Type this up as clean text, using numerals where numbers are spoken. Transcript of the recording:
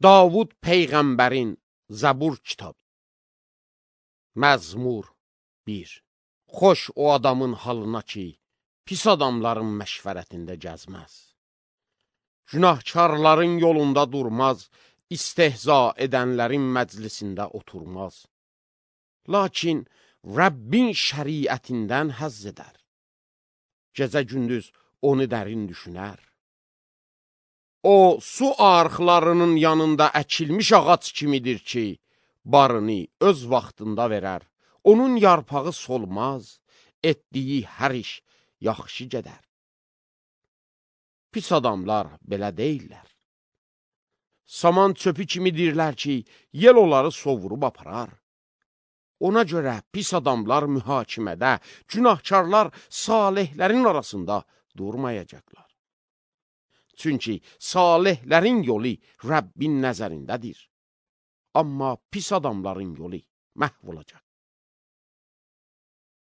Davud Peyğəmbərin Zəbur kitabı. Məzmur 1. Xoş o adamın halına ki, pis adamların məşvərətində gəzməz. Günahkarların yolunda durmaz, istehza edənlərin məclisində oturmaz. Lakin Rəbbin şəriətindən həzz edər. Gecə-gündüz onu dərin düşünər. O, su arxlarının yanında əkilmiş ağac kimidir ki, barını öz vaxtında verər. Onun yarpağı solmaz, etdiyi hər iş yaxşı gedər. Pis adamlar belə deyirlər. Saman çöpü kimidirlər ki, yel onları sovurub aparar. Ona görə pis adamlar mühakimədə, günahkarlar salihlərin arasında durmayacaqlar. Çünki salihlərin yolu Rəbbin nəzərindədir. Amma pis adamların yolu məhv olacaq.